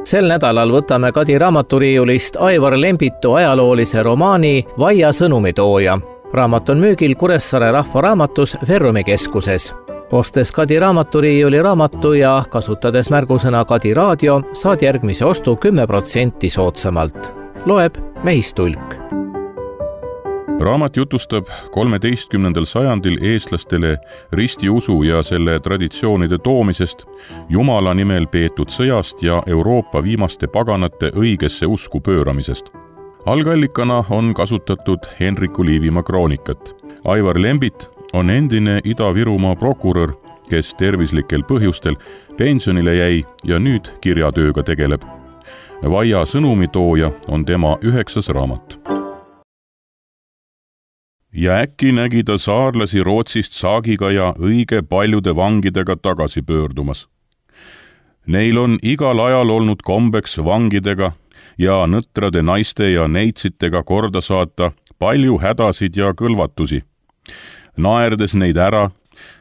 Sel nädalal võtame Kadi raamaturiiulist Aivar Lembitu ajaloolise romaani Vaia sõnumitooja. Raamat on müügil Kuressaare rahvaraamatus Verrumi keskuses. Ostes Kadi raamaturiiuli raamatu ja kasutades märgusõna Kadi raadio, saad järgmise ostu 10% soodsamalt. Loeb Mehistulk. Raamat jutustab 13. sajandil eestlastele ristiusu ja selle traditsioonide toomisest, Jumala nimel peetud sõjast ja Euroopa viimaste paganate õigesse usku pööramisest. Algallikana on kasutatud Henriku Liivimaa kroonikat. Aivar Lembit on endine Ida-Virumaa prokurör, kes tervislikel põhjustel pensionile jäi ja nüüd kirjatööga tegeleb. Vaia sõnumitooja on tema 9. raamat. Ja äkki nägi ta saarlasi Rootsist saagiga ja õige paljude vangidega tagasi pöördumas. Neil on igal ajal olnud kombeks vangidega ja nõtrade naiste ja neitsitega korda saata palju hädasid ja kõlvatusi, naerdes neid ära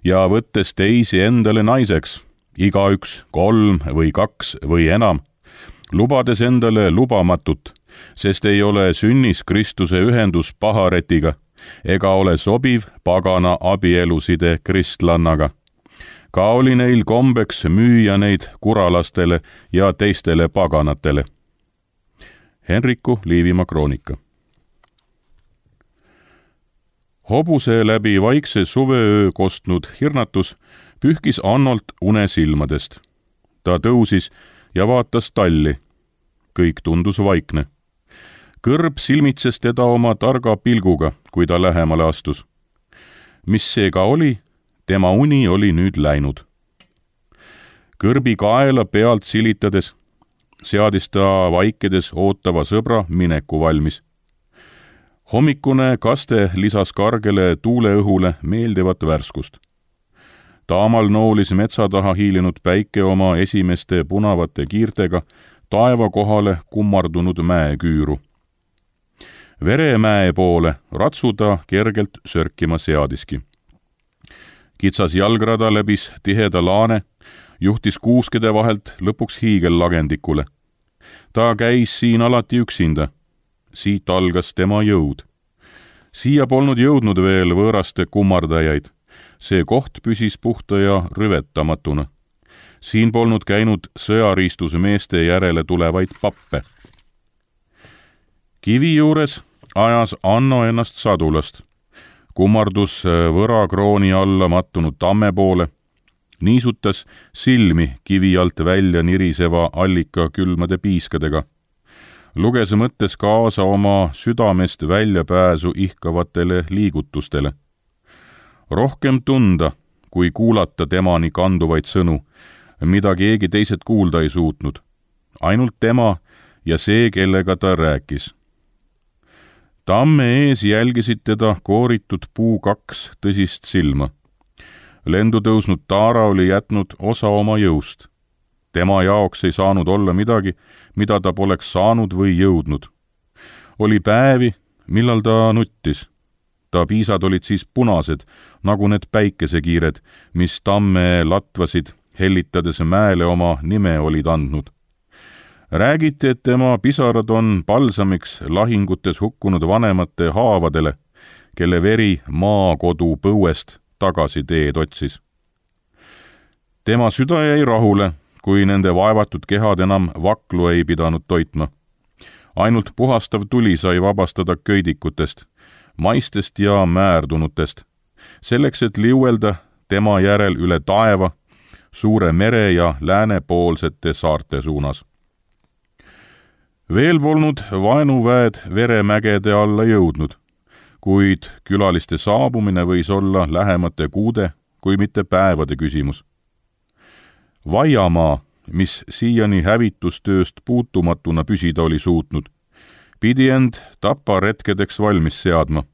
ja võttes teisi endale naiseks, igaüks 3 või 2 või enam, lubades endale lubamatut, sest ei ole sünnis Kristuse ühendus paharetiga, ega ole sobiv pagana abieluside kristlannaga. Ka oli neil kombeks müüa neid kuralastele ja teistele paganatele. Henriku Liivimaa kroonika. Hobuse läbi vaikse suveöö kostnud hirnatus pühkis Annolt une silmadest. Ta tõusis ja vaatas talli. Kõik tundus vaikne. Kõrb silmitses teda oma targa pilguga, kui ta lähemale astus. Mis see ka oli, tema uni oli nüüd läinud. Kõrbi kaela pealt silitades seadis ta vaikedes ootava sõbra mineku valmis. Hommikune kaste lisas kargele tuuleõhule meeldivat värskust. Taamal noolis metsa taha hiilinud päike oma esimeste punavate kiirtega taeva kohale kummardunud mäeküüru. Veremäe poole ratsuda kergelt sörkima seadiski. Kitsas jalgrada läbis tiheda laane, juhtis kuuskede vahelt lõpuks hiigellagendikule. Ta käis siin alati üksinda. Siit algas tema jõud. Siia polnud jõudnud veel võõraste kummardajaid. See koht püsis puhta ja rüvetamatuna. Siin polnud käinud sõjariistusmeeste järele tulevaid pappe. Kivi juures ajas Anno ennast sadulast. Kummardus võrakrooni alla mattunud tamme poole, niisutas silmi kivi alt välja niriseva allika külmade piiskadega. Luges mõttes kaasa oma südamest väljapääsu ihkavatele liigutustele. Rohkem tunda, kui kuulata temani kanduvaid sõnu, mida keegi teised kuulda ei suutnud. Ainult tema ja see, kellega ta rääkis. Tamme ees jälgisid teda kooritud puu 2 tõsist silma. Lendu tõusnud taara oli jätnud osa oma jõust. Tema jaoks ei saanud olla midagi, mida ta poleks saanud või jõudnud. Oli päevi, millal ta nuttis. Ta piisad olid siis punased, nagu need päikesekiired, mis tamme latvasid, hellitades mäele oma nime olid andnud. Räägiti, et tema pisarad on palsamiks lahingutes hukkunud vanemate haavadele, kelle veri maakodu põuest tagasi teed otsis. Tema süda jäi rahule, kui nende vaevatud kehad enam vaklu ei pidanud toitma. Ainult puhastav tuli sai vabastada köidikutest, maistest ja määrdunutest, selleks, et liuelda tema järel üle taeva, suure mere ja läänepoolsete saarte suunas. Veel polnud vaenuväed veremägede alla jõudnud, kuid külaliste saabumine võis olla lähemate kuude, kui mitte päevade küsimus. Vaiamaa, mis siiani hävitustööst puutumatuna püsida oli suutnud, pidi end taparetkedeks valmis seadma.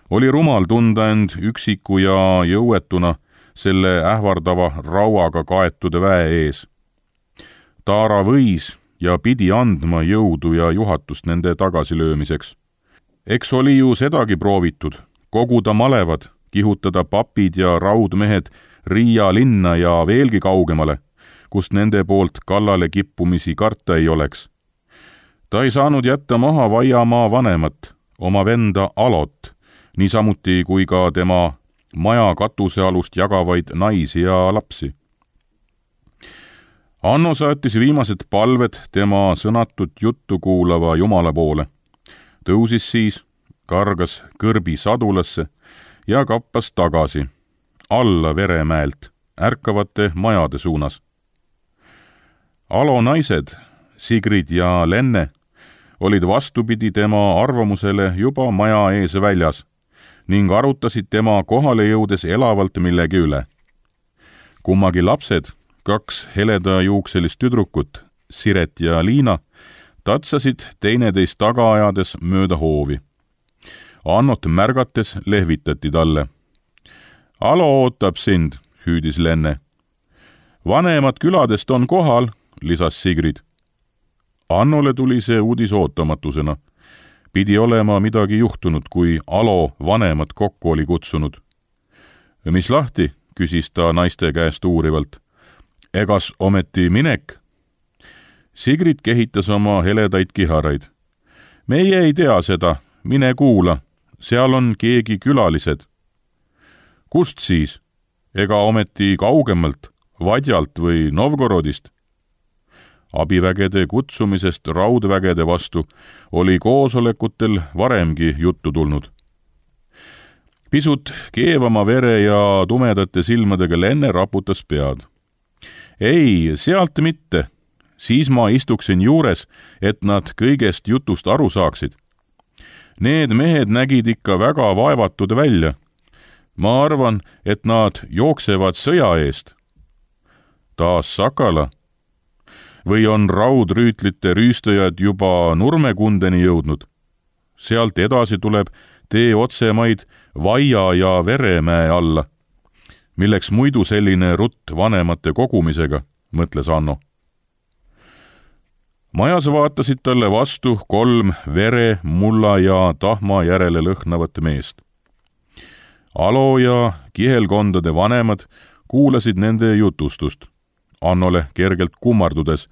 Oli rumal tunda end üksiku ja jõuetuna selle ähvardava rauaga kaetud väe ees. Taara võis ja pidi andma jõudu ja juhatust nende tagasilöömiseks. Eks oli ju sedagi proovitud, koguda malevad, kihutada papid ja raudmehed Riia linna ja veelgi kaugemale, kust nende poolt kallale kippumisi karta ei oleks. Ta ei saanud jätta maha Vaiamaa vanemat, oma venda Alot, niisamuti kui ka tema maja katusealust jagavaid naisi ja lapsi. Anno saatis viimased palved tema sõnatut juttu kuulava Jumala poole. Tõusis siis, kargas kõrbi sadulasse ja kappas tagasi, alla Veremäelt, ärkavate majade suunas. Alo naised, Sigrid ja Lenne, olid vastupidi tema arvamusele juba maja ees väljas ning arutasid tema kohale jõudes elavalt millegi üle. Kummagi lapsed, 2 heledajuukselist tüdrukut, Siret ja Liina, tatsasid teineteist taga ajades mööda hoovi. Annot märgates lehvitati talle. Alo ootab sind, hüüdis Lenne. Vanemad küladest on kohal, lisas Sigrid. Annole tuli see uudis ootamatusena. Pidi olema midagi juhtunud, kui Alo vanemad kokku oli kutsunud. Mis lahti, küsis ta naiste käest uurivalt. Egas ometi minek? Sigrid kehitas oma heledaid kiharaid. Meie ei tea seda, mine kuula, seal on keegi külalised. Kust siis? Ega ometi kaugemalt, Vadjalt või Novgorodist? Abivägede kutsumisest raudvägede vastu oli koosolekutel varemgi juttu tulnud. Pisut keevama vere ja tumedate silmadega Lenne raputas pead. Ei, sealt mitte. Siis ma istuksin juures, et nad kõigest jutust aru saaksid. Need mehed nägid ikka väga vaevatud välja. Ma arvan, et nad jooksevad sõja eest. Taas Sakala. Või on raudrüütlite rüüstajad juba Nurmekundeni jõudnud? Sealt edasi tuleb tee otsemaid Vaia ja Veremäe alla. Milleks muidu selline rutt vanemate kogumisega, mõtles Anno. Majas vaatasid talle vastu 3 vere, mulla ja tahma järele lõhnavat meest. Alo ja kihelkondade vanemad kuulasid nende jutustust, Annole kergelt kummardudes,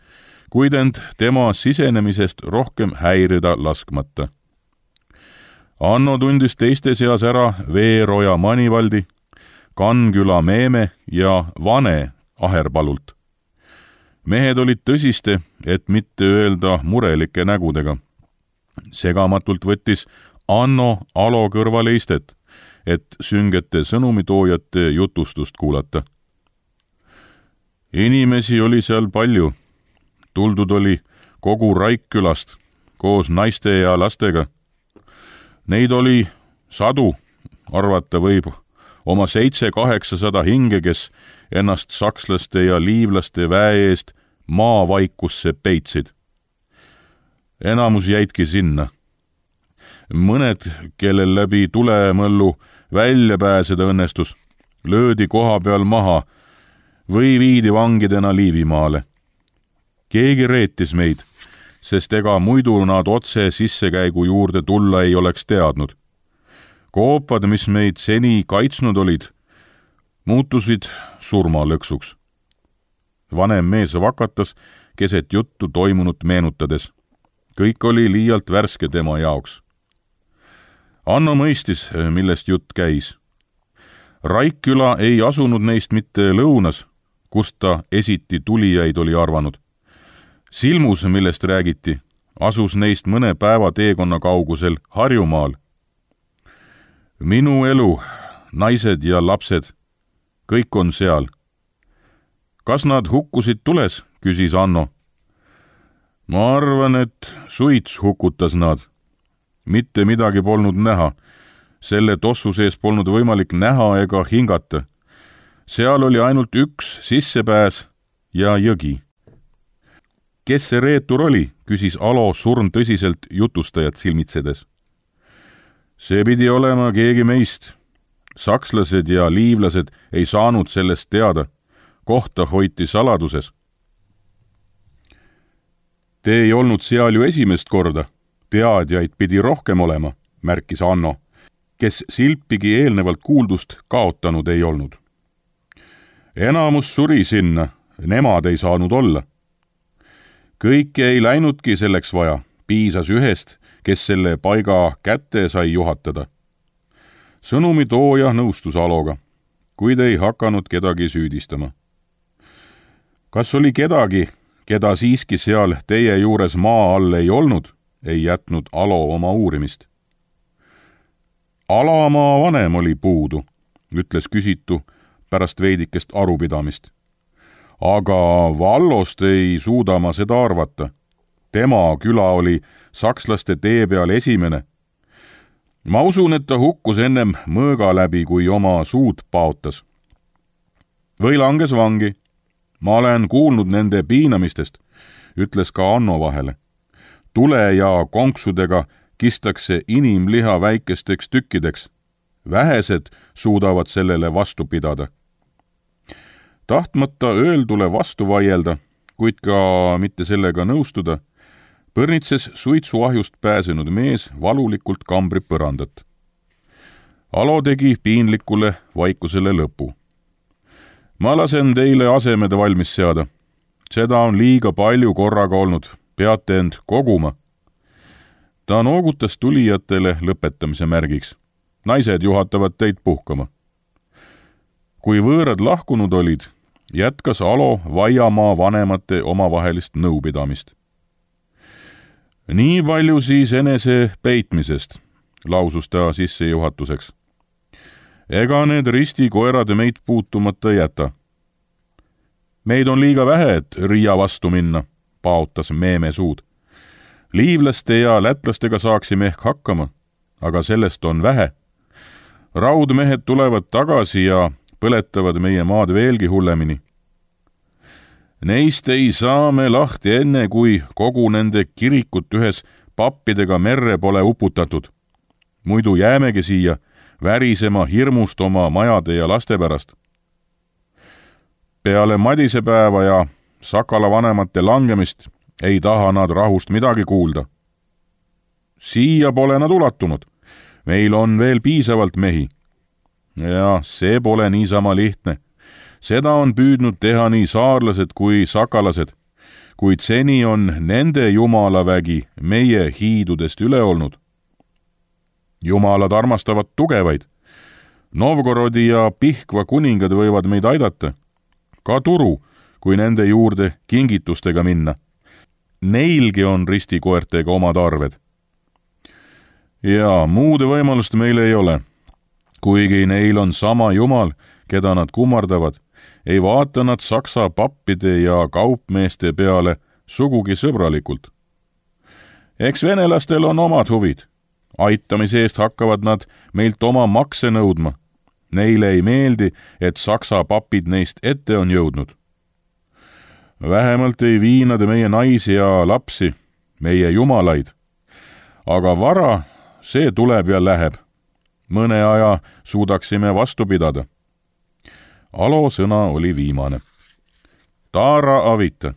kuid end tema sisenemisest rohkem häirida laskmata. Anno tundis teiste seas ära Veeroja Manivaldi, Kanküla Meeme ja Vane Aherpalult. Mehed olid tõsiste, et mitte öelda murelike nägudega. Segamatult võttis Anno Alo kõrvale istet, et süngete sõnumitoojate jutustust kuulata. Inimesi oli seal palju. Tuldud oli kogu Raikkülast koos naiste ja lastega. Neid oli 100, arvata võib oma 700-800 hinge, kes ennast sakslaste ja liivlaste väe eest maavaikusse peitsid. Enamus jäidki sinna. Mõned, kellel läbi tulemõllu välja pääseda õnnestus, löödi koha peal maha või viidi vangidena Liivimaale. Keegi reetis meid, sest ega muidu nad otse sissekäigu juurde tulla ei oleks teadnud. Koopad, mis meid seni kaitsnud olid, muutusid surmalõksuks. Vanem mees vakatas keset juttu toimunut meenutades. Kõik oli liialt värske tema jaoks. Anno mõistis, millest jutt käis. Raikküla ei asunud neist mitte lõunas, kust ta esiti tulijaid oli arvanud. Silmus, millest räägiti, asus neist mõne päeva teekonna kaugusel Harjumaal. Minu elu, naised ja lapsed, kõik on seal. Kas nad hukkusid tules, küsis Anno. Ma arvan, et suits hukutas nad. Mitte midagi polnud näha. Selle tossu sees polnud võimalik näha ega hingata. Seal oli ainult üks sissepääs ja jõgi. Kes see reetur oli, küsis Alo surmtõsiselt jutustajat silmitsedes. See pidi olema keegi meist. Sakslased ja liivlased ei saanud sellest teada. Kohta hoiti saladuses. Te ei olnud seal ju esimest korda. Teadjaid pidi rohkem olema, märkis Anno, kes silpigi eelnevalt kuuldust kaotanud ei olnud. Enamus suri sinna, nemad ei saanud olla. Kõike ei läinudki selleks vaja, piisas ühest, kes selle paiga kätte sai juhatada. Sõnumitooja nõustus Aloga, kuid ei hakanud kedagi süüdistama. Kas oli kedagi, keda siiski seal teie juures maa all ei olnud, ei jätnud Alo oma uurimist. Alamaa vanem oli puudu, ütles küsitu pärast veidikest arupidamist. Aga Vallost ei suuda ma seda arvata. Tema küla oli sakslaste tee peal esimene. Ma usun, et ta hukkus ennem mõõga läbi, kui oma suud paotas. Või langes vangi. Ma olen kuulnud nende piinamistest, ütles ka Anno vahele. Tule ja konksudega kistakse inimliha väikesteks tükkideks. Vähesed suudavad sellele vastu pidada. Tahtmata öeldule vastu vaielda, kuid ka mitte sellega nõustuda, põrnitses suitsuahjust pääsenud mees valulikult kambri põrandat. Alo tegi piinlikule vaikusele lõpu. Ma lasen teile asemed valmis seada. Seda on liiga palju korraga olnud, peate end koguma. Ta noogutas tulijatele lõpetamise märgiks. Naised juhatavad teid puhkama. Kui võõrad lahkunud olid, jätkas Alo Vaiamaa vanemate omavahelist nõupidamist. Nii palju siis enese peitmisest, lausus ta sissejuhatuseks. Ega need ristikoerad meid puutumata jäta. Meid on liiga vähe, et Riia vastu minna, paotas Meeme suud. Liivlaste ja lätlastega saaksime ehk hakkama, aga sellest on vähe. Raudmehed tulevad tagasi ja põletavad meie maad veelgi hullemini. Neist ei saa me lahti enne, kui kogu nende kirikut ühes pappidega merre pole uputatud. Muidu jäämegi siia värisema hirmust oma majade ja laste pärast. Peale madisepäeva ja Sakala vanemate langemist ei taha nad rahust midagi kuulda. Siia pole nad ulatunud. Meil on veel piisavalt mehi. Ja see pole niisama lihtne. Seda on püüdnud teha nii saarlased kui sakalased, kuid seni on nende jumalavägi meie hiidudest üle olnud. Jumalad armastavad tugevaid. Novgorodi ja Pihkva kuningad võivad meid aidata. Ka Turu, kui nende juurde kingitustega minna. Neilgi on ristikoertega omad arved. Ja muude võimalust meil ei ole. Kuigi neil on sama jumal, keda nad kummardavad, ei vaata nad saksa pappide ja kaupmeeste peale sugugi sõbralikult. Eks venelastel on omad huvid. Aitamise eest hakkavad nad meilt oma makse nõudma. Neile ei meeldi, et saksa papid neist ette on jõudnud. Vähemalt ei vii nad meie naisi ja lapsi, meie jumalaid. Aga vara, see tuleb ja läheb. Mõne aja suudaksime vastu pidada. Alo sõna oli viimane. Taara avita.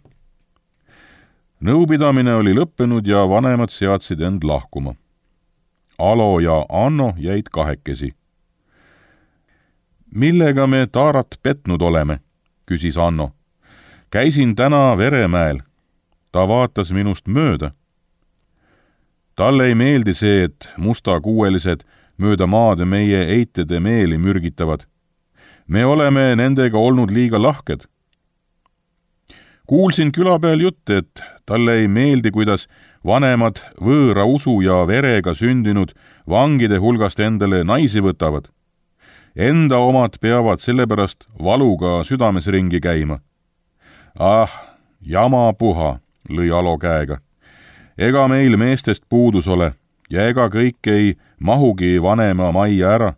Nõupidamine oli lõppenud ja vanemad seadsid end lahkuma. Alo ja Anno jäid kahekesi. Millega me Taarat petnud oleme, küsis Anno. Käisin täna Veremäel. Ta vaatas minust mööda. Talle ei meeldi see, et mustakuuelised mööda maad meie eitede meeli mürgitavad. Me oleme nendega olnud liiga lahked. Kuulsin küla peal jutte, et talle ei meeldi, kuidas vanemad võõra usu ja verega sündinud vangide hulgast endale naisi võtavad. Enda omad peavad sellepärast valuga südames ringi käima. Ah, jama puha, lõi Alo käega. Ega meil meestest puudus ole ja ega kõik ei mahugi vanema majja ära.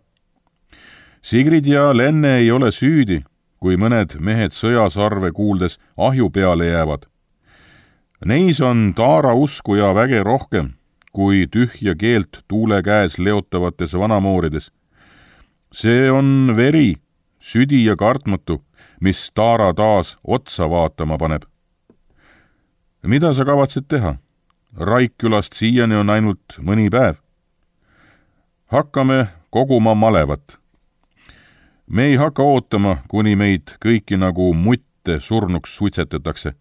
Sigrid ja Lenne ei ole süüdi, kui mõned mehed sõjasarve kuuldes ahju peale jäävad. Neis on Taara usku ja väge rohkem, kui tühja keelt tuule käes leotavates vanamoorides. See on veri, südi ja kartmatu, mis Taara taas otsa vaatama paneb. Mida sa kavatsed teha? Raikkülast siiani on ainult mõni päev. Hakkame koguma malevat. Me ei hakka ootama, kuni meid kõiki nagu mutt ette surnuks suitsetatakse.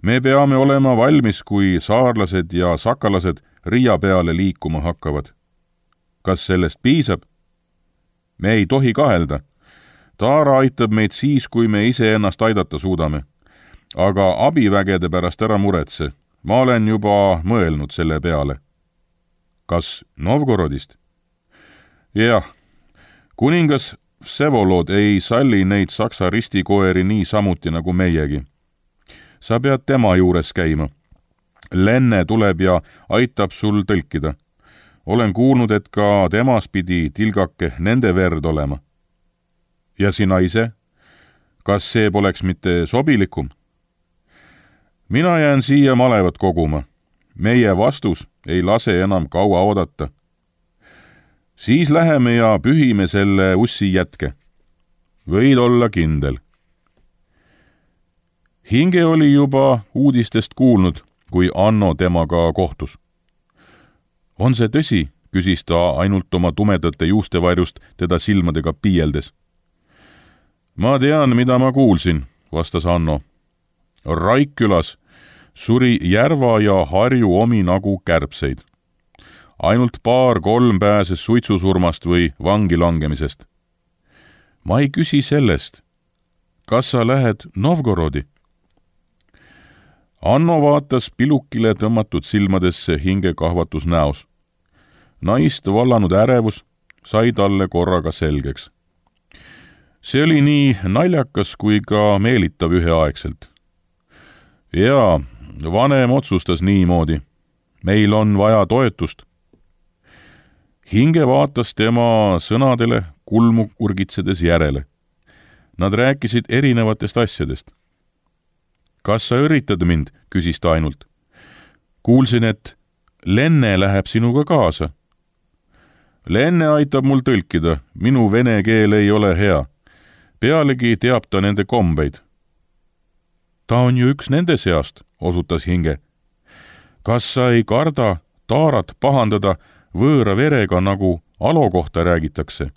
Me peame olema valmis, kui saarlased ja sakalased Riia peale liikuma hakkavad. Kas sellest piisab? Me ei tohi kahelda. Taara aitab meid siis, kui me iseennast aidata suudame. Aga abivägede pärast ära muretse. Ma olen juba mõelnud selle peale. Kas Novgorodist? Jah, kuningas Vsevolod ei salli neid saksa ristikoeri nii samuti nagu meiegi. Sa pead tema juures käima. Lenne tuleb ja aitab sul tõlkida. Olen kuulnud, et ka temas pidi tilgake nende verd olema. Ja sina ise? Kas see poleks mitte sobilikum? Mina jään siia malevat koguma. Meie vastus ei lase enam kaua oodata. Siis läheme ja pühime selle ussi jätke. Võid olla kindel. Hinge oli juba uudistest kuulnud, kui Anno temaga kohtus. On see tõsi, küsis ta ainult oma tumedate juustevarjust teda silmadega piieldes. Ma tean, mida ma kuulsin, vastas Anno. Raikkülas suri Järva ja Harju omi nagu kärbseid. Ainult 2-3 pääses suitsusurmast või vangi langemisest. Ma ei küsi sellest. Kas sa lähed Novgorodi? Anno vaatas pilukile tõmmatud silmadesse Hinge kahvatus näos. Naist vallanud ärevus sai talle korraga selgeks. See oli nii naljakas kui ka meelitav üheaegselt. Jaa, vanem otsustas niimoodi. Meil on vaja toetust. Hinge vaatas tema sõnadele kulmu urgitsedes järele. Nad rääkisid erinevatest asjadest. Kas sa üritad mind, küsis ta ainult. Kuulsin, et Lenne läheb sinuga kaasa. Lenne aitab mul tõlkida, minu vene keel ei ole hea. Pealegi teab ta nende kombeid. Ta on ju üks nende seast, osutas Hinge. Kas sa ei karda Taarat pahandada võõra verega, nagu Alo kohta räägitakse?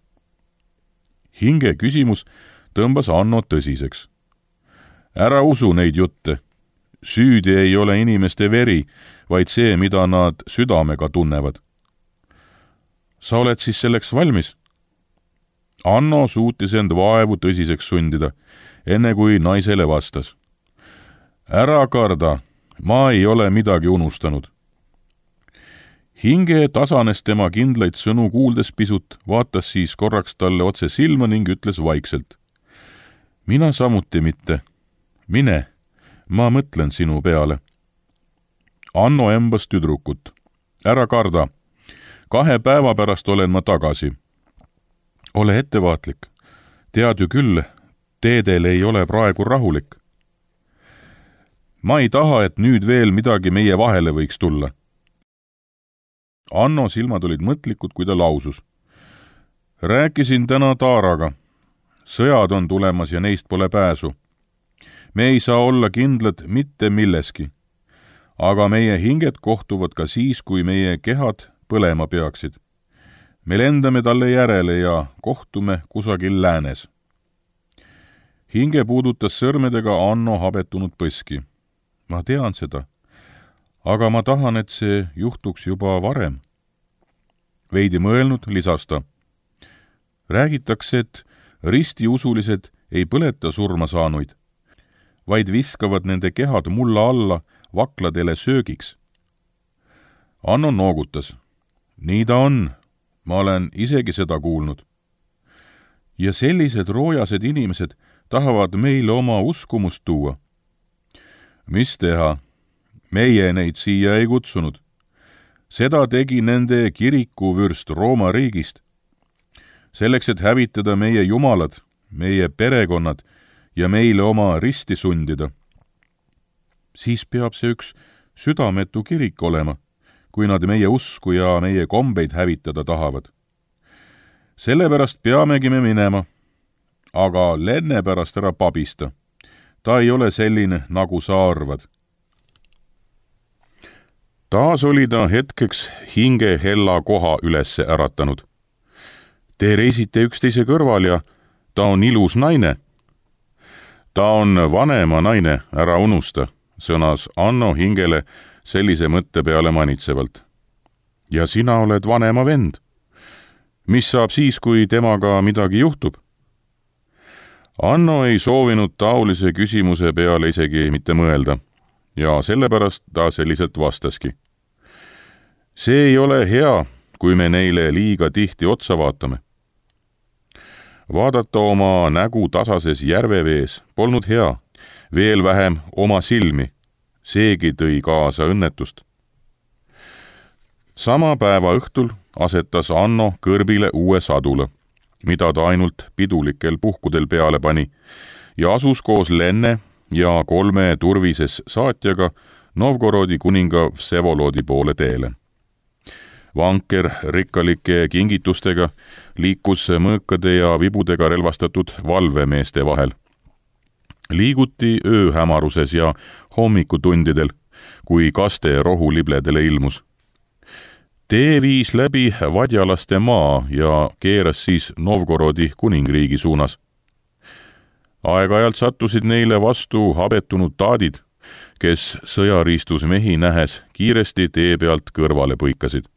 Hinge küsimus tõmbas Anno tõsiseks. Ära usu neid jutte. Süüdi ei ole inimeste veri, vaid see, mida nad südamega tunnevad. Sa oled siis selleks valmis? Anno suutis end vaevu tõsiseks sundida, enne kui naisele vastas. Ära karda, ma ei ole midagi unustanud. Hinge tasanes tema kindlaid sõnu kuuldes pisut, vaatas siis korraks talle otse silma ning ütles vaikselt. Mina samuti mitte. Mine, ma mõtlen sinu peale. Anno embas tüdrukut. Ära karda. 2 päeva pärast olen ma tagasi. Ole ettevaatlik. Tead ju küll, teedel ei ole praegu rahulik. Ma ei taha, et nüüd veel midagi meie vahele võiks tulla. Anno silmad olid mõtlikud, kui ta lausus. Rääkisin täna Taaraga. Sõjad on tulemas ja neist pole pääsu. Me ei saa olla kindlad mitte milleski. Aga meie hinged kohtuvad ka siis, kui meie kehad põlema peaksid. Me lendame talle järele ja kohtume kusagil läänes. Hinge puudutas sõrmedega Anno habetunud põski. Ma tean seda, aga ma tahan, et see juhtuks juba varem. Veidi mõelnud lisas ta. Räägitakse, et ristiusulised ei põleta surma saanuid, vaid viskavad nende kehad mulla alla vakladele söögiks. Anno noogutas. Nii ta on, ma olen isegi seda kuulnud. Ja sellised roojased inimesed tahavad meile oma uskumust tuua. Mis teha? Meie neid siia ei kutsunud. Seda tegi nende kirikuvürst Rooma riigist. Selleks, et hävitada meie jumalad, meie perekonnad ja meile oma risti sundida. Siis peab see üks südametu kirik olema, kui nad meie usku ja meie kombeid hävitada tahavad. Sellepärast peamegi me minema, aga Lenne pärast ära pabista. Ta ei ole selline, nagu sa arvad. Taas oli ta hetkeks Hinge hella koha üles äratanud. Te reisite üksteise kõrval ja ta on ilus naine. ta on vanema naine, ära unusta, sõnas Anno hingele sellise mõtte peale manitsevalt. ja sina oled vanema vend. mis saab siis, kui temaga midagi juhtub? Anno ei soovinud taolise küsimuse peale isegi mitte mõelda ja sellepärast ta selliselt vastaski. see ei ole hea, kui me neile liiga tihti otsa vaatame. Vaadata oma nägu tasases järvevees polnud hea, veel vähem oma silmi, seegi tõi kaasa õnnetust. Sama päeva õhtul asetas Anno kõrbile uue sadula, mida ta ainult pidulikel puhkudel peale pani, ja asus koos Lenne ja 3 turvises saatjaga Novgorodi kuninga Vsevolodi poole teele. Vanker rikkalike kingitustega liikus mõõkade ja vibudega relvastatud valvemeeste vahel. Liiguti ööhämaruses ja hommikutundidel, kui kaste rohulibledele ilmus. Tee viis läbi Vadjalaste maa ja keeras siis Novgorodi kuningriigi suunas. Aeg-ajalt sattusid neile vastu habetunud taadid, kes sõjariistus mehi nähes kiiresti tee pealt kõrvale põikasid.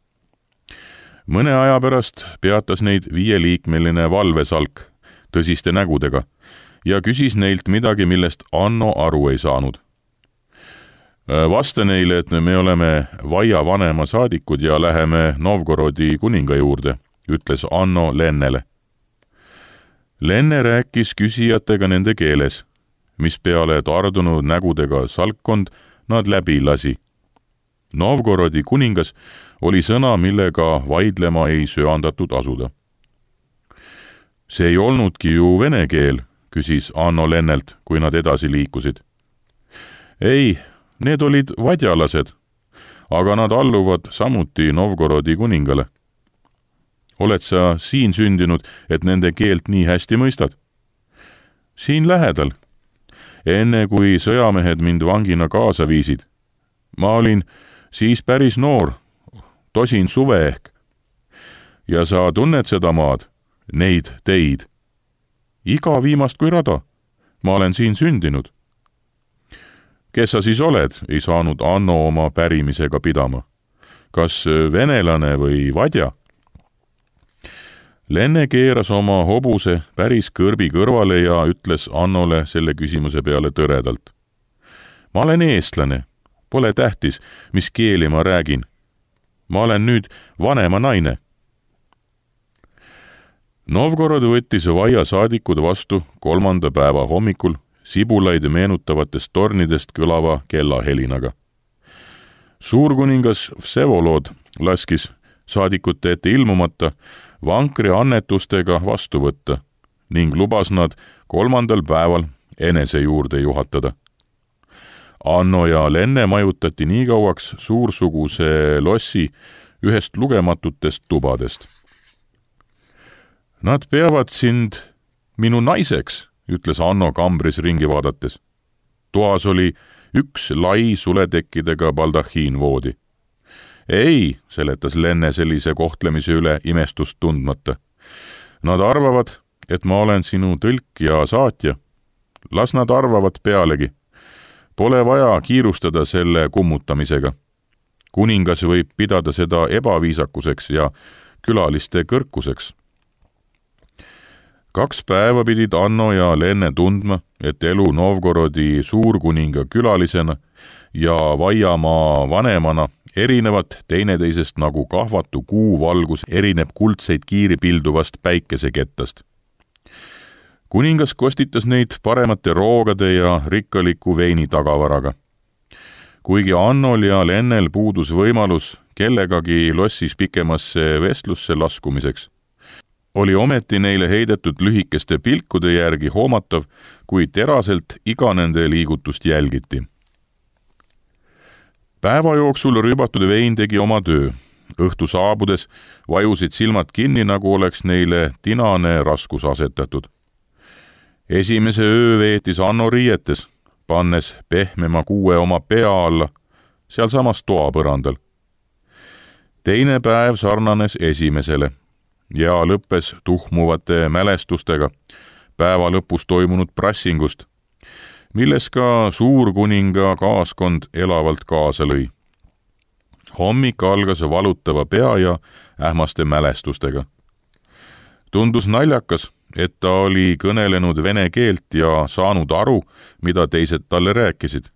Mõne aja pärast peatas neid 5-liikmeline valvesalk tõsiste nägudega ja küsis neilt midagi, millest Anno aru ei saanud. Vasta neile, et me oleme Vaia vanema saadikud ja läheme Novgorodi kuninga juurde, ütles Anno Lennele. Lenne rääkis küsijatega nende keeles, mis peale tardunud nägudega salkkond nad läbi lasi. Novgorodi kuningas oli sõna, millega vaidlema ei söandatud asuda. See ei olnudki ju vene keel, küsis Anno Lennelt, kui nad edasi liikusid. Ei, need olid vadjalased, aga nad alluvad samuti Novgorodi kuningale. Oled sa siin sündinud, et nende keelt nii hästi mõistad? Siin lähedal. Enne kui sõjamehed mind vangina kaasa viisid. Ma olin siis päris noor, tosin suve ehk. Ja sa tunned seda maad, neid teid. Iga viimast kui rada. Ma olen siin sündinud. Kes sa siis oled, ei saanud Anno oma pärimisega pidama. Kas venelane või vadja? Lenne keeras oma hobuse päris kõrbi kõrvale ja ütles Annole selle küsimuse peale tõredalt. Ma olen eestlane. Pole tähtis, mis keeli ma räägin. Ma olen nüüd vanema naine. Novgorod võttis Vaia saadikud vastu 3. päeva hommikul sibulaid meenutavatest tornidest kõlava kellahelinaga. Suurkuningas Vsevolod laskis saadikute ette ilmumata vankri annetustega vastu võtta ning lubas nad 3. päeval enese juurde juhatada. Anno ja Lenne majutati nii kauaks suursuguse lossi ühest lugematutest tubadest. Nad peavad sind minu naiseks, ütles Anno kambris ringi vaadates. Toas oli üks lai suletekkidega baldahiinvoodi. Ei, seletas Lenne sellise kohtlemise üle imestust tundmata. Nad arvavad, et ma olen sinu tõlk ja saatja. Las nad arvavad pealegi. Pole vaja kiirustada selle kummutamisega. Kuningas võib pidada seda ebaviisakuseks ja külaliste kõrkuseks. 2 päeva pidid Anno ja Lenne tundma, et elu Novgorodi suurkuninga külalisena ja Vaiamaa vanemana erinevad teineteisest nagu kahvatu kuuvalgus erineb kuldseid kiiri pilduvast päikesekettast. Kuningas kostitas neid paremate roogade ja rikkaliku veini tagavaraga. Kuigi Annol ja Lennel puudus võimalus kellegagi lossis pikemasse vestlusse laskumiseks, oli ometi neile heidetud lühikeste pilkude järgi hoomatav, kui teraselt iga nende liigutust jälgiti. Päeva jooksul rüübatud vein tegi oma töö. Õhtu saabudes vajusid silmad kinni, nagu oleks neile tinane raskus asetatud. Esimese öö veetis Anno riietes, pannes pehmema kuue oma pea alla, sealsamas toapõrandal. Teine päev sarnanes esimesele ja lõppes tuhmuvate mälestustega päeva lõpus toimunud prassingust, milles ka suurkuninga kaaskond elavalt kaasa lõi. Hommik algas valutava pea ja ähmaste mälestustega. Tundus naljakas, et ta oli kõnelenud vene keelt ja saanud aru, mida teised talle rääkisid.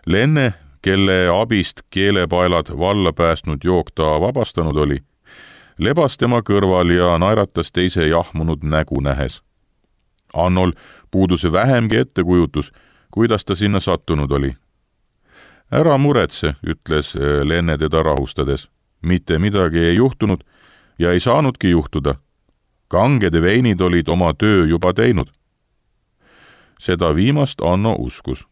Lenne, kelle abist keelepaelad valla päästnud jook ta vabastanud oli, lebas tema kõrval ja naeratas teise jahmunud nägu nähes. Annol puudus vähemgi ettekujutus, kuidas ta sinna sattunud oli. Ära muretse, ütles Lenne teda rahustades. Mitte midagi ei juhtunud ja ei saanudki juhtuda. Kangede veinid olid oma töö juba teinud. Seda viimast Anno uskus.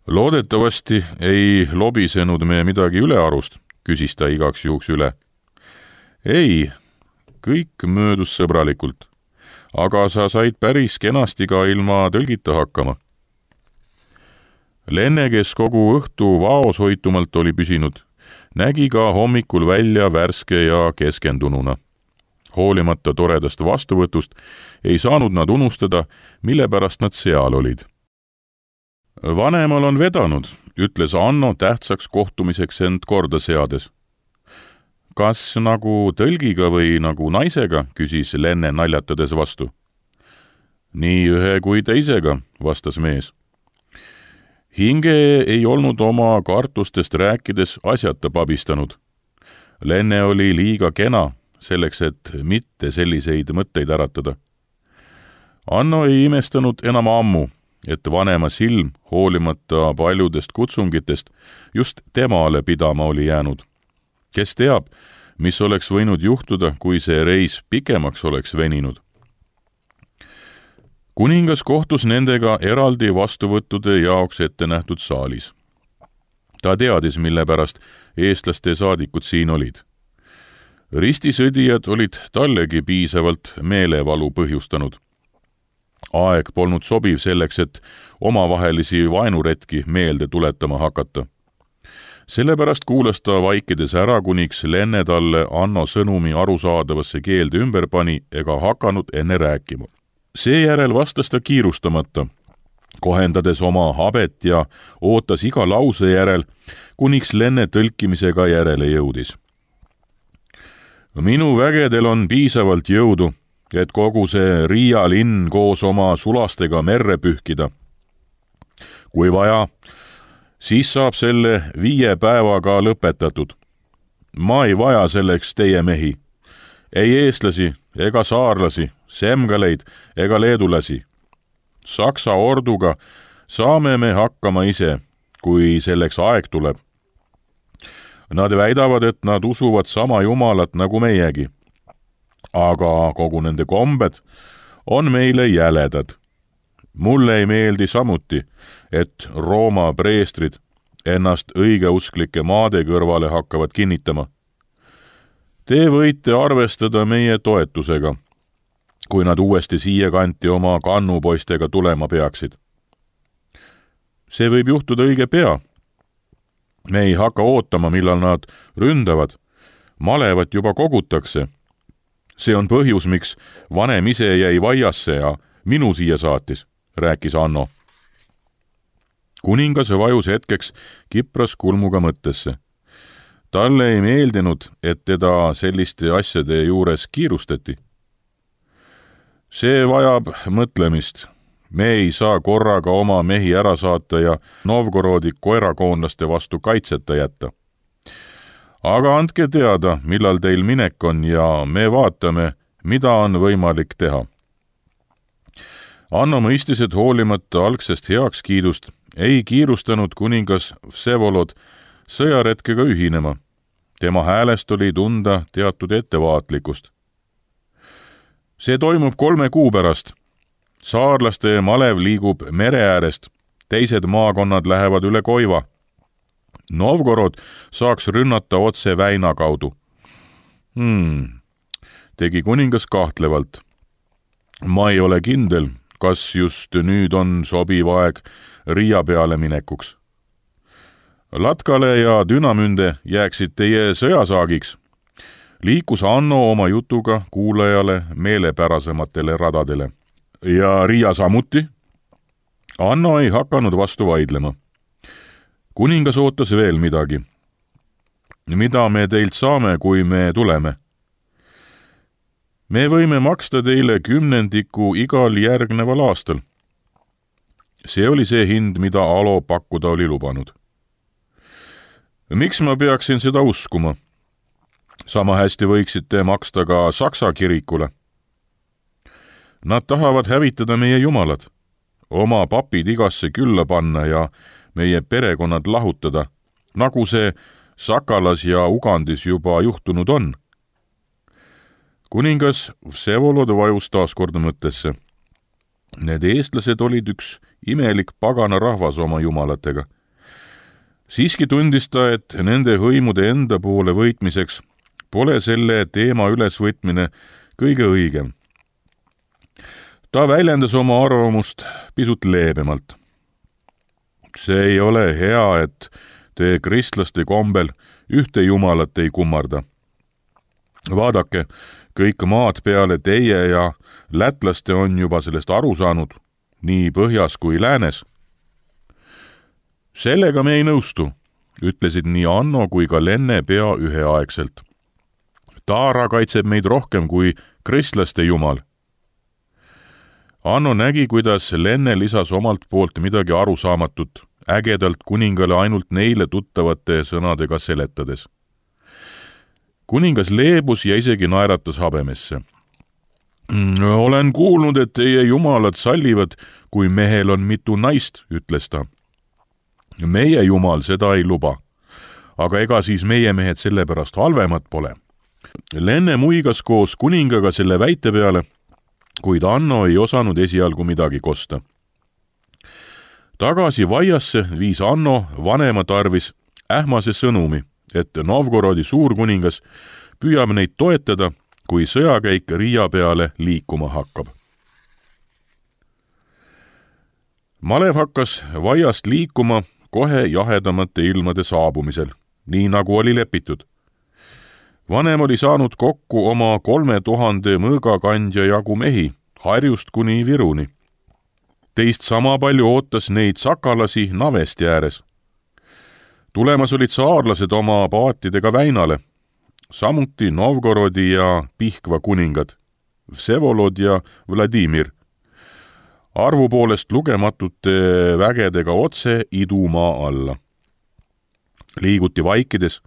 Loodetavasti ei lobisenud me midagi ülearust, küsis ta igaks juhuks üle. Ei, kõik möödus sõbralikult, aga sa said päris kenasti ka ilma tõlgita hakkama. Lenne, kes kogu õhtu vaoshoitumalt oli püsinud, nägi ka hommikul välja värske ja keskendununa. Hoolimata toredast vastuvõtust ei saanud nad unustada, mille pärast nad seal olid. Vanemal on vedanud, ütles Anno tähtsaks kohtumiseks end korda seades. Kas nagu tõlgiga või nagu naisega, küsis Lenne naljatades vastu. Nii ühe kui teisega, vastas mees. Hinge ei olnud oma kartustest rääkides asjata pabistanud. Lenne oli liiga kena, selleks, et mitte selliseid mõtteid äratada. Anno ei imestanud enam ammu, et vanema silm, hoolimata paljudest kutsungitest, just temale pidama oli jäänud. Kes teab, mis oleks võinud juhtuda, kui see reis pikemaks oleks veninud. Kuningas kohtus nendega eraldi vastuvõttude jaoks ette nähtud saalis. Ta teadis, mille pärast eestlaste saadikud siin olid. Ristisõdijad olid tallegi piisavalt meelevalu põhjustanud. Aeg polnud sobiv selleks, et omavahelisi vaenuretki meelde tuletama hakata. Sellepärast kuulas ta vaikides ära, kuniks Lenne talle Anno sõnumi arusaadavasse keelde ümber pani ega hakanud enne rääkima. Seejärel vastas ta kiirustamata, kohendades oma habet ja ootas iga lause järel, kuniks Lenne tõlkimisega järele jõudis. Minu vägedel on piisavalt jõudu, et kogu see Riia linn koos oma sulastega merre pühkida. Kui vaja, siis saab selle 5 päevaga lõpetatud. Ma ei vaja selleks teie mehi, ei eestlasi ega saarlasi, semgaleid ega leedulasi. Saksa orduga saame me hakkama ise, kui selleks aeg tuleb. Nad väidavad, et nad usuvad sama jumalat nagu meiegi. Aga kogu nende kombed on meile jäledad. Mulle ei meeldi samuti, et Rooma preestrid ennast õigeusklike maade kõrvale hakkavad kinnitama. Te võite arvestada meie toetusega, kui nad uuesti siia kanti oma kannupoistega tulema peaksid. See võib juhtuda õige pea. Me ei hakka ootama, millal nad ründavad. Malevat juba kogutakse. See on põhjus, miks vanem ise jäi vaiasse ja minu siia saatis, rääkis Anno. Kuningas vajus hetkeks kipras kulmuga mõttesse. Talle ei meeldinud, et teda selliste asjade juures kiirustati. See vajab mõtlemist. Me ei saa korraga oma mehi ära saata ja Novgorodi koerakoonlaste vastu kaitseta jätta. Aga andke teada, millal teil minek on ja me vaatame, mida on võimalik teha. Anno mõistis, et hoolimata algsest heakskiidust ei kiirustanud kuningas Vsevolod sõjaretkega ühinema. Tema häälest oli tunda teatud ettevaatlikkust. See toimub 3 kuu pärast. Saarlaste malev liigub mere äärest, teised maakonnad lähevad üle Koiva. Novgorod saaks rünnata otse väina kaudu. Tegi kuningas kahtlevalt. Ma ei ole kindel, kas just nüüd on sobiv aeg Riia peale minekuks. Latkale ja Dünamünde jääksid teie sõjasaagiks. Liikus Anno oma jutuga kuulajale meelepärasematele radadele. Ja Riia samuti? Anno ei hakanud vastu vaidlema. Kuningas ootas veel midagi. Mida me teilt saame, kui me tuleme? Me võime maksta teile 10% igal järgneval aastal. See oli see hind, mida Alo pakkuda oli lubanud. Miks ma peaksin seda uskuma? Sama hästi võiksite maksta ka Saksa kirikule. Nad tahavad hävitada meie jumalad, oma papid igasse külla panna ja meie perekonnad lahutada, nagu see Sakalas ja Ugandis juba juhtunud on. Kuningas Vsevolod vajus taaskord mõttesse. Need eestlased olid üks imelik pagana rahvas oma jumalatega. Siiski tundis ta, et nende hõimude enda poole võitmiseks pole selle teema ülesvõtmine kõige õigem. Ta väljendas oma arvamust pisut leebemalt. See ei ole hea, et te kristlaste kombel ühte jumalat ei kummarda. Vaadake, kõik maad peale teie ja lätlaste on juba sellest aru saanud, nii põhjas kui läänes. Sellega me ei nõustu, ütlesid nii Anno kui ka Lenne pea üheaegselt. Taara kaitseb meid rohkem kui kristlaste jumal. Anno nägi, kuidas Lenne lisas omalt poolt midagi arusaamatut, ägedalt kuningale ainult neile tuttavate sõnadega seletades. Kuningas leebus ja isegi naeratas habemesse. Olen kuulnud, et teie jumalad sallivad, kui mehel on mitu naist, ütles ta. Meie jumal seda ei luba, aga ega siis meie mehed sellepärast halvemad pole. Lenne muigas koos kuningaga selle väite peale, kuid Anno ei osanud esialgu midagi kosta. Tagasi vaiasse viis Anno vanema tarvis ähmase sõnumi, et Novgorodi suurkuningas püüab neid toetada, kui sõjakäik Riia peale liikuma hakkab. Malev hakkas vaiast liikuma kohe jahedamate ilmade saabumisel, nii nagu oli lepitud. Vanem oli saanud kokku oma 3000 mõõgakandja jagu mehi, Harjust kuni Viruni. Teist sama palju ootas neid sakalasi Navesti ääres. Tulemas olid saarlased oma paatidega Väinale, samuti Novgorodi ja Pihkva kuningad, Vsevolod ja Vladimir, arvu poolest lugematute vägedega otse idumaa alla. Liiguti vaikides,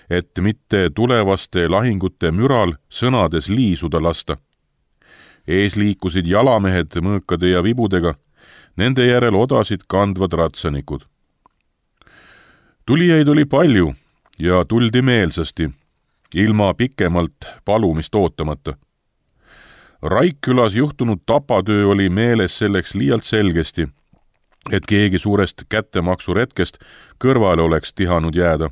et mitte tulevaste lahingute müral sõnades liisuda lasta. Ees liikusid jalamehed mõõkade ja vibudega, nende järel odasid kandvad ratsanikud. Tulijaid oli palju ja tuldi meelsasti, ilma pikemalt palumist ootamata. Raikkülas juhtunud tapatöö oli meeles selleks liialt selgesti, et keegi suurest kättemaksuretkest kõrvale oleks tihanud jääda.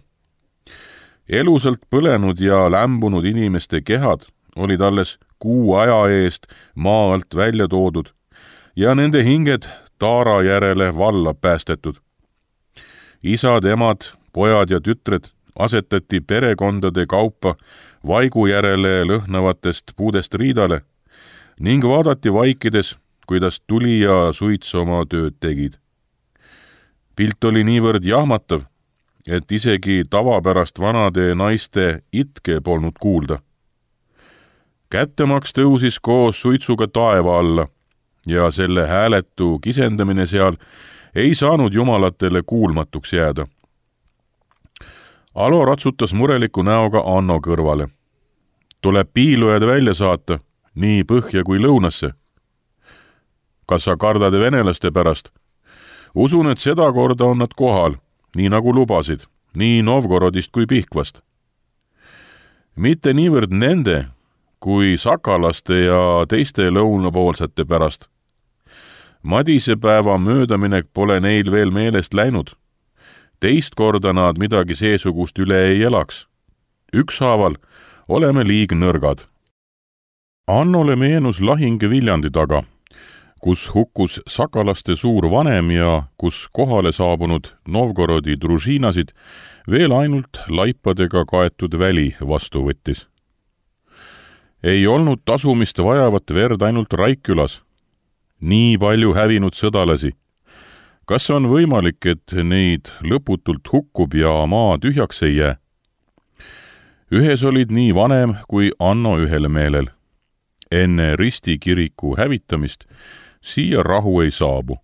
Elusalt põlenud ja lämbunud inimeste kehad olid alles kuu aja eest maa alt välja toodud ja nende hinged Taara järele valla päästetud. Isad, emad, pojad ja tütred asetati perekondade kaupa vaigu järele lõhnavatest puudest riidale ning vaadati vaikides, kuidas tuli ja suits oma tööd tegid. Pilt oli niivõrd jahmatav, et isegi tavapärast vanade naiste itke polnud kuulda. Kättemaks tõusis koos suitsuga taeva alla ja selle hääletu kisendamine seal ei saanud jumalatele kuulmatuks jääda. Alo ratsutas mureliku näoga Anno kõrvale. Tuleb piilujad välja saata, nii põhja kui lõunasse. Kas sa kardad venelaste pärast? Usun, et seda korda on nad kohal, nii nagu lubasid, nii Novgorodist kui Pihkvast. Mitte niivõrd nende, kui sakalaste ja teiste lõunapoolsete pärast. Madisepäeva möödaminek pole neil veel meelest läinud. Teist korda nad midagi seesugust üle ei elaks. Ükshaaval oleme liig nõrgad. Annole meenus lahing Viljandi taga, kus hukkus sakalaste suur vanem ja kus kohale saabunud Novgorodi družiinasid veel ainult laipadega kaetud väli vastu võttis. Ei olnud tasumist vajavat verd ainult Raikkülas. Nii palju hävinud sõdalasi. kas on võimalik, et neid lõputult hukkub ja maa tühjaks ei jää? Ühes olid nii vanem kui Anno ühel meelel. Enne Risti kiriku hävitamist siia rahu ei saabu.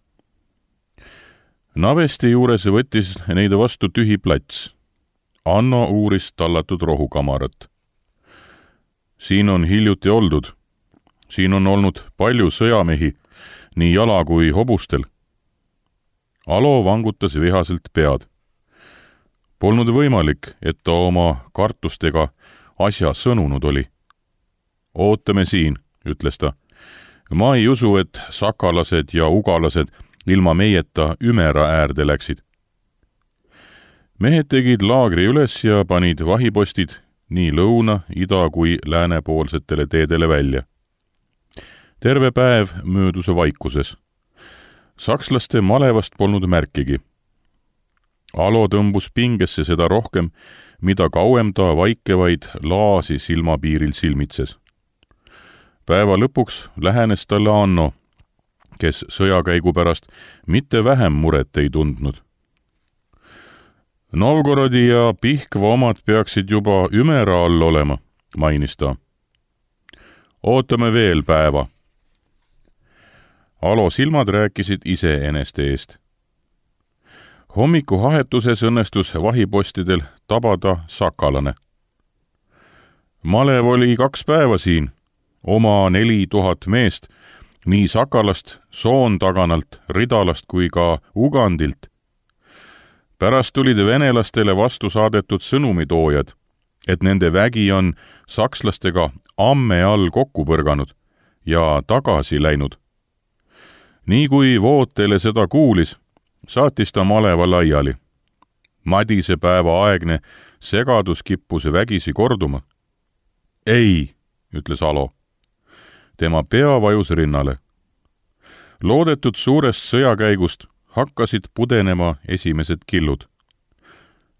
Navesti juures võttis neid vastu tühi plats. Anno uuris tallatud rohukamarat. Siin on hiljuti oldud. Siin on olnud palju sõjamehi, nii jala kui hobustel. Alo vangutas vihaselt pead. Polnud võimalik, et ta oma kartustega asja sõnunud oli. Ootame siin, ütles ta. Ma ei usu, et sakalased ja ugalased ilma meieta Ümera äärde läksid. Mehed tegid laagri üles ja panid vahipostid nii lõuna, ida kui läänepoolsetele teedele välja. Terve päev möödus vaikuses. Sakslaste malevast polnud märkigi. Alo tõmbus pingesse seda rohkem, mida kauem ta vaikevaid laasi silmapiiril silmitses. Päeva lõpuks lähenes talle Anno, kes sõjakäigu pärast mitte vähem muret ei tundnud. Novgorodi ja Pihkva omad peaksid juba Ümera all olema, mainis ta. Ootame veel päeva. Alo silmad rääkisid iseeneste eest. Hommikuhahetuses õnnestus vahipostidel tabada sakalane. Malev oli 2 päeva siin, oma 4000 meest, nii Sakalast, Soontaganalt, Ridalast kui ka Ugandilt. Pärast tulid venelastele vastu saadetud sõnumitoojad, et nende vägi on sakslastega amme all kokku põrganud ja tagasi läinud. Nii kui Vootele seda kuulis, saatis ta maleva laiali. Madise päeva aegne segadus kippus vägisi korduma. Ei, ütles Alo. Tema pea vajus rinnale. Loodetud suurest sõjakäigust hakkasid pudenema esimesed killud.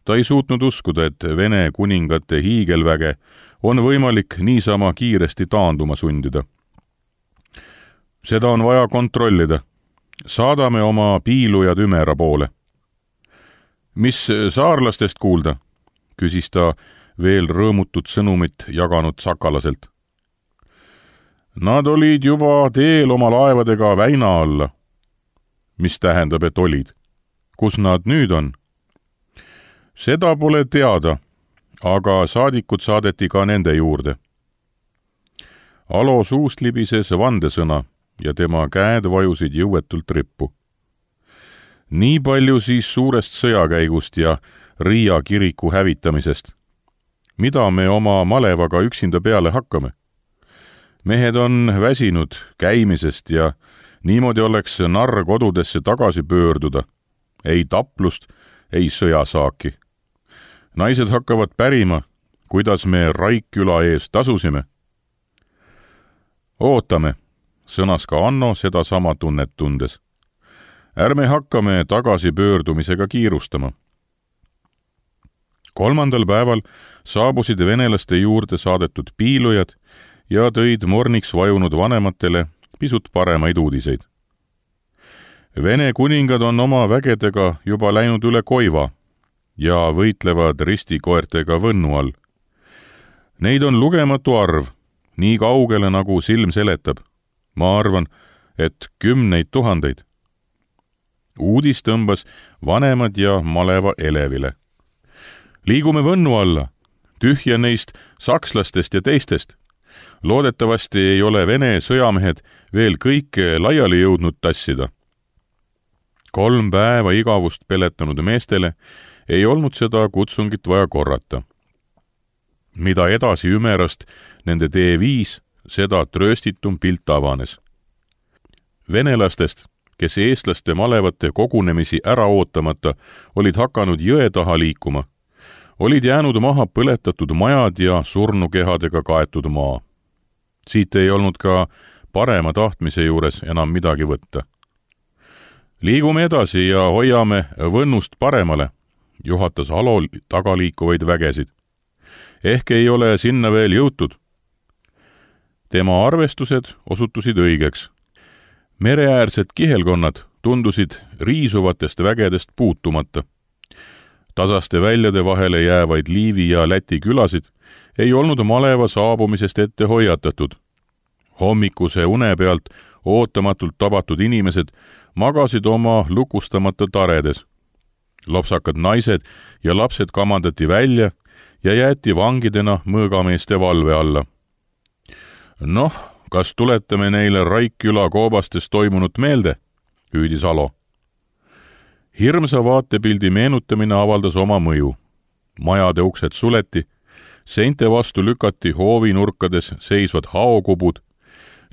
Ta ei suutnud uskuda, et Vene kuningate hiigelväge on võimalik niisama kiiresti taanduma sundida. Seda on vaja kontrollida. Saadame oma piilujad Ümera poole. Mis saarlastest kuulda? Küsis ta veel rõõmutut sõnumit jaganud sakalaselt. Nad olid juba teel oma laevadega väina alla. Mis tähendab, et olid? Kus nad nüüd on? Seda pole teada, aga saadikud saadeti ka nende juurde. Alo suust libises vandesõna ja tema käed vajusid jõuetult rippu. Nii palju siis suurest sõjakäigust ja Riia kiriku hävitamisest. Mida me oma malevaga üksinda peale hakkame? Mehed on väsinud käimisest ja niimoodi oleks narr kodudesse tagasi pöörduda. Ei taplust, ei sõjasaaki. Naised hakkavad pärima, kuidas me Raikküla ees tasusime. Ootame, sõnas ka Anno seda sama tunnet tundes. Ärme hakkame tagasipöördumisega kiirustama. 3. päeval saabusid venelaste juurde saadetud piilujad ja tõid morniks vajunud vanematele pisut paremaid uudiseid. Vene kuningad on oma vägedega juba läinud üle Koiva ja võitlevad ristikoertega Võnnu all. Neid on lugematu arv, nii kaugele nagu silm seletab. Ma arvan, et 10 000. Uudis tõmbas vanemad ja maleva elevile. Liigume Võnnu alla, tühja neist sakslastest ja teistest. Loodetavasti ei ole Vene sõjamehed veel kõike laiali jõudnud tassida. 3 päeva igavust peletanud meestele ei olnud seda kutsungit vaja korrata. Mida edasi Ümerast nende tee viis, seda trööstitum pilt avanes. Venelastest, kes eestlaste malevate kogunemisi ära ootamata olid hakanud jõe taha liikuma, olid jäänud maha põletatud majad ja surnukehadega kaetud maa. Siit ei olnud ka parema tahtmise juures enam midagi võtta. Liigume edasi ja hoiame Võnnust paremale, juhatas Alo tagaliikuvaid vägesid. Ehk ei ole sinna veel jõutud. Tema arvestused osutusid õigeks. Mereäärsed kihelkonnad tundusid riisuvatest vägedest puutumata. Tasaste väljade vahele jäävaid Liivi ja Läti külasid ei olnud maleva saabumisest ette hoiatatud. Hommikuse une pealt ootamatult tabatud inimesed magasid oma lukustamata taredes. Lopsakad naised ja lapsed kamandati välja ja jäeti vangidena mõõgameeste valve alla. Noh, kas tuletame neile Raikküla koobastes toimunut meelde, hüüdis Alo. Hirmsa vaatepildi meenutamine avaldas oma mõju. Majade uksed suleti, seinte vastu lükati hoovinurkades seisvad haokubud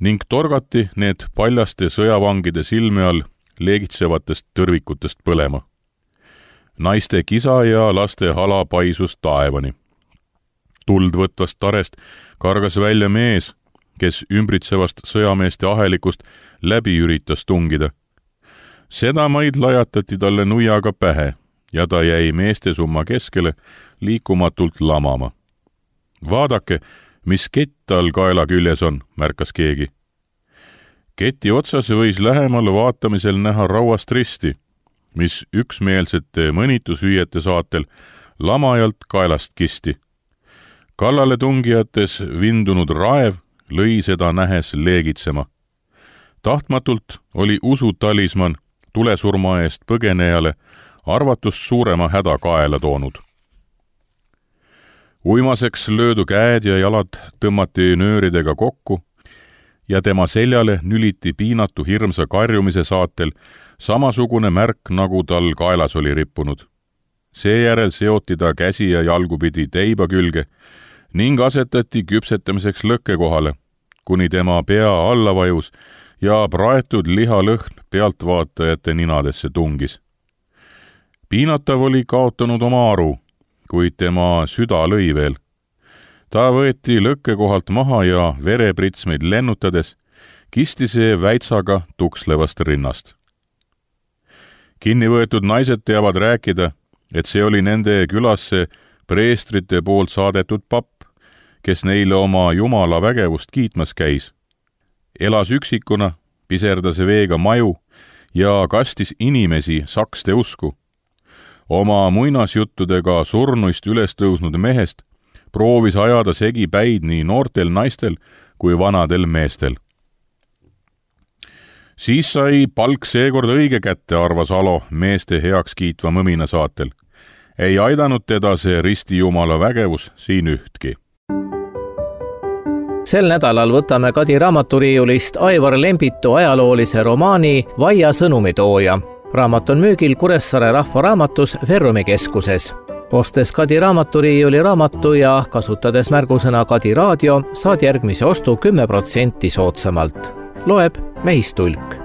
ning torgati need paljaste sõjavangide silme all leegitsevatest tõrvikutest põlema. Naiste kisa ja laste hala paisus taevani. Tuld võtvast tarest kargas välja mees, kes ümbritsevast sõjameeste ahelikust läbi üritas tungida. Seda maid lajatati talle nuiaga pähe ja ta jäi meeste summa keskele liikumatult lamama. Vaadake, mis kett tal kaela küljes on, märkas keegi. Keti otsas võis lähemal vaatamisel näha rauast risti, mis üksmeelsete mõnitushüüete saatel lamajalt kaelast kisti. Kallale tungijates vindunud raev lõi seda nähes leegitsema. Tahtmatult oli usutalisman tulesurma eest põgenejale arvatust suurema häda kaela toonud. Uimaseks löödu käed ja jalad tõmmati nööridega kokku ja tema seljale nüliti piinatu hirmsa karjumise saatel samasugune märk, nagu tal kaelas oli rippunud. Seejärel seoti ta käsi ja jalgupidi teiba külge ning asetati küpsetamiseks lõkke kohale, kuni tema pea alla vajus ja praetud lihalõhn pealtvaatajate ninadesse tungis. Piinatav oli kaotanud oma aru, kuid tema süda lõi veel. Ta võeti lõkke kohalt maha ja verepritsmeid lennutades kisti see väitsaga tukslevast rinnast. Kinnivõetud naised teavad rääkida, et see oli nende külasse preestrite poolt saadetud papp, kes neile oma jumala vägevust kiitmas käis. Elas üksikuna, piserdas veega maju ja kastis inimesi sakste usku. Oma muinasjuttudega surnuist üles tõusnud mehest proovis ajada segi päid nii noortel naistel kui vanadel meestel. Siis sai palk seekord õige kätte, arvas Alo meeste heaks kiitva mõmina saatel. Ei aidanud teda see ristijumala vägevus siin ühtki. Sel nädalal võtame Kadi raamaturiiulist Aivar Lembitu ajaloolise romaani Vaia sõnumitooja. Raamat on müügil Kuressaare Rahvaraamatus Verrumi keskuses. Ostes Kadi raamaturiiuli raamatu ja kasutades märgusõna Kadi raadio, saad järgmise ostu 10% soodsamalt. Loeb Mehistulk.